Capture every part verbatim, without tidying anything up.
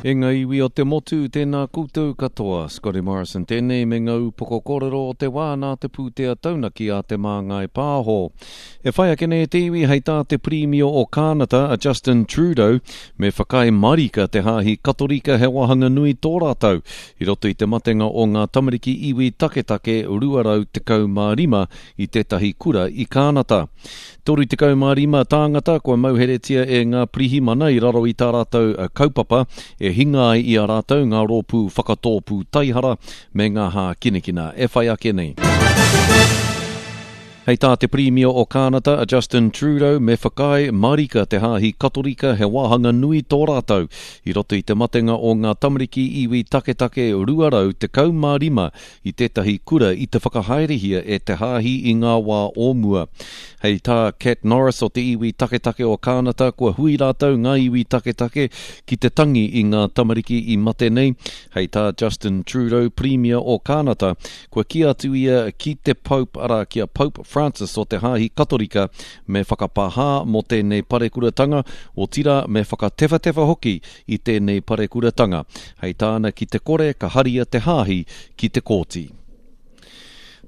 E ngā iwi o te motu, tēnā koutou katoa. Scotty Morrison tēnei me ngā upoko kōrero o te wā nā te pūtea taunaki a Te Māngai Pāho. E whai ake nei te iwi hei tā te Pirimia o Kānata a Justin Trudeau me whakaae marika te hāhi Katorika he wāhanga nui tō rātou i roto i te matenga o ngā tamariki iwi taketake rua rau tekau mā rima i tētahi kura i Kānata. Toru tekau mā rima tāngata kua mauheretia e ngā pirihimana i raro i tā rātou kaupapa e hinga ai i a rātou ngā rōpū whakatōpū taihara me ngā hākinakina e whai ake nei. Hei tā te Pirimia o Kānata a Justin Trudeau me whakaae marika te hāhi Katorika he wāhanga nui tō rātou i roto i te matenga o ngā tamariki iwi taketake rua rau tekau mā rima i tētahi kura i te whakahaerehia e te hāhi i ngā wā o mua. Hei tā Kat Norris o te iwi taketake o Kānata kua hui rātou ngā iwi taketake ki te tangi i ngā tamariki i mate nei. Hei tā Justin Trudeau, Pirimia o Kānata, kua kī atu ia ki te Pope, arā ki a Pope Francis o te Hāhi Katorika me whakapāhā mō tēnei parekuratanga, otirā me whakatewhatewha hoki i tēnei parekuratanga. Hei tāna ki te kore ka haria te hāhi ki te kōti.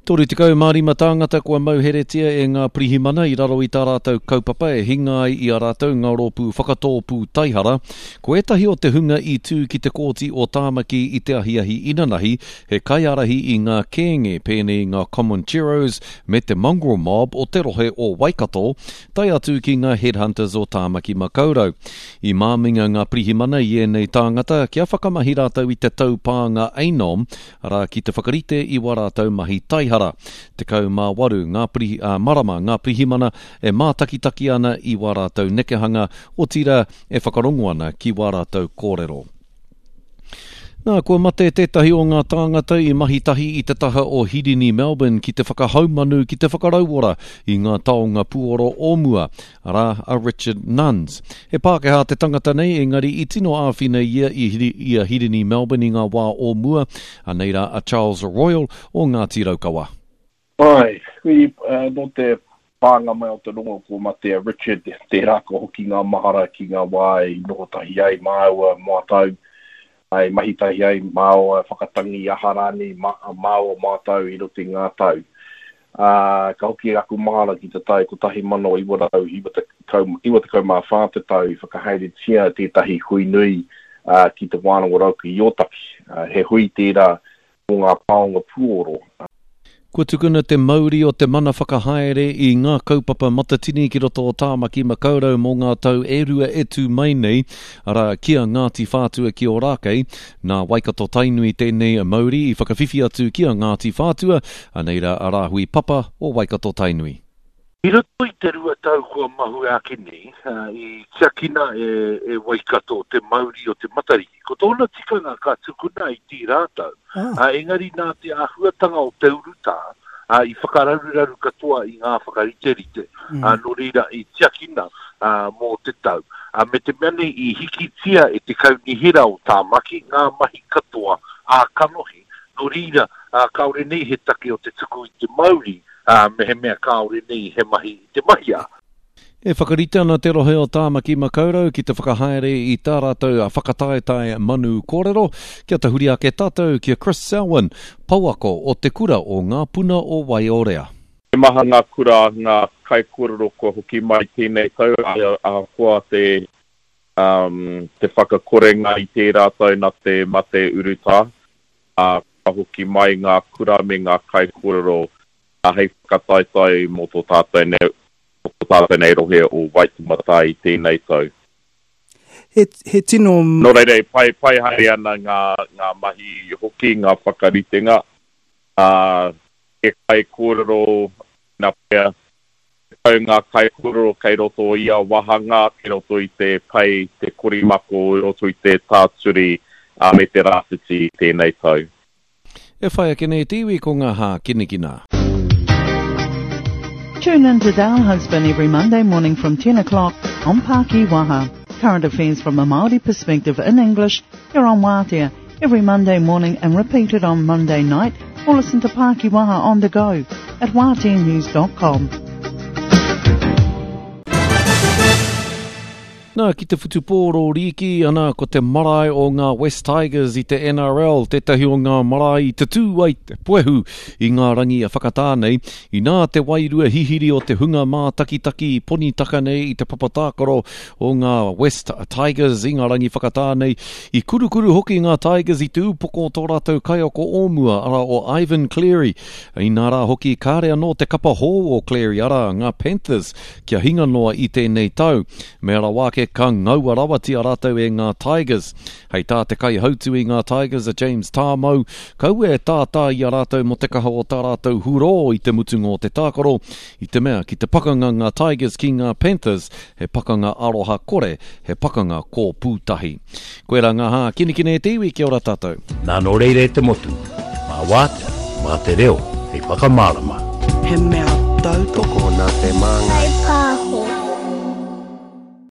Toru tekau mā rima tāngata kua mauheretia e ngā pirihimana i raro i tā rātou kaupapa e hinga ai i a rātou ngā rōpū whakatōpū taihara. Ko ētahi o te hunga i tū ki te kōti o Tāmaki i te ahiahi inanahi, he kaiārahi i ngā kēnge pēnei i ngā Comancheros me te Mongrel Mob o te rohe o Waikato, tae atu ki ngā Headhunters o Tāmaki Makaurau. I māminga ngā pirihimana i ēnei tāngata kia whakamahi rātou i te taupānga ANOM, arā ki te whakarite i wā rātou mahi taihara. Tekau mā waru ngā pirihi, ā, marama ngā pirihimana e mātakitaki ana i wā rātou nekehanga, otirā e whakarongo ana ki wā rātou kōrero. Nā, kua mate tētahi o ngā tāngata i mahi tahi i te taha o Hirini Melbourne ki te whakahaumanu ki te whakarauora i ngā taonga puoro o mua, arā a Richard Nunns. He Pākehā te tangata nei, engari i tino āwhina ia i Hiri, i a Hirini Melbourne i ngā wā o mua, anei rā a Charles Royal o Ngāti Raukawa. Ai, hui, uh, nō te pānga mai o te rongo ko mate a Richard, tērā ka hoki ngā mahara ki ngā wā i noho tahi ai māua mātau, ai mahi tahi ai māua whakatangi aha rānei ma, māua mātau i roto i ngā tau. Uh, ka hoki aku mahara ki te tau kotahi mano iwa rau iwa tekau, iwa tekau mā whā te tau i whakahaeretia tētahi hui nui, uh, ki te Wānanga Rauka i Ōtaki. Uh, he hui tērā mō ngā taonga puoro. Kua tukuna te mauri o te mana whakahaere i ngā kaupapa matatini ki roto o Tāmaki Makaurau mō ngā tau e rua e tū mai nei, arā ki a Ngāti Whātua ki Ōrākei. Nā Waikato Tainui tēnei mauri i whakawhiwhi atu ki a Ngāti Whātua, anei rā a Rāhui Papa o Waikato Tainui. I roto i te rua tau kua mahue ake nei, i tiakina e, e Waikato te mauri o te Matariki. Ko tōna tikanga ka tukuna i tērā tau, ah. engari nā te āhuatanga o te urutā, i whakararuraru katoa i ngā whakariterite, mm. nō reira i tiakina mō te tau. Me te mea nei i hikitia e te kaunihera o Tāmaki ngā mahi katoa ā kanohi, nō reira kāore nei he take o te tuku i te mauri, Uh, me he mea kāore nei he mahi i te mahia. E whakarite ana te rohe o Tāmaki Makaurau ki te whakahaere i tā rātou whakataetae manu kōrero, kia tahuri ake tātou ki a Chris Selwyn, pouako o te kura o Ngā Puna o Waiorea. He maha ngā kura, ngā kaikōrero kua hoki mai tēnei tau, ahakoa te, um, te whakakorenga i tērā tau nā te mate urutā, uh, kua hoki mai ngā kura me ngā kaikōrero hei whakataetae mō tō tātou nei, mō tō tātou nei rohe o Waitematā i tēnei tau. He, he tino... Nō reira, e pai, pai haere ana ngā, ngā mahi hoki, ngā whakaritenga. Uh, e kaikōrero, nā pea, tekau ngā kaikōrero kei roto i a wāhanga, kei roto i te pai, te korimako, i roto i te tāturi, uh, me te rāwhiti i tēnei tau. E whai ake nei te iwi ko ngā hākinakina. Tune in to Dale Husband every Monday morning from ten o'clock on Pākiwaha. Current affairs from a Māori perspective in English here on Waatea every Monday morning and repeated on Monday night, or listen to Pākiwaha on the go at waatea news dot com. Nā, ki te whutupōro rīki, ana ko te marae o ngā West Tigers i te N R L, tētahi o ngā marae i te tū ai te puehu i ngā rangi a whakatā nei. Inā te wairua hihiri o te hunga mātakitaki ponitaka nei i te papatākaro o ngā West Tigers i ngā rangi whakatā nei. I kurukuru hoki ngā Tigers i te upoko o tō rātou kaiako o mua, ara o Ivan Cleary. Inā rā hoki kāre anō te kapa hou o Cleary, ara ngā Panthers, kia hinga noa i tēnei tau. Me rawa ake ka ngaua rawatia rātou e ngā Tigers. Hei tā te kaihautu i ngā Tigers a James Tāmau, kaua e tātā i a rātou mō te kaha o tā rātou hurō i te mutunga o te tākaro, i te mea ki te pakanga ngā Tigers ki ngā Panthers, he pakanga aroha kore, he pakanga kōpūtahi. Koe rā ngā hā kinikine e te iwi, kia ora tātou. Nā nō reira e te motu, mā wātea, mā te reo, hei whakamārama. He mea tautoko nā te māngai.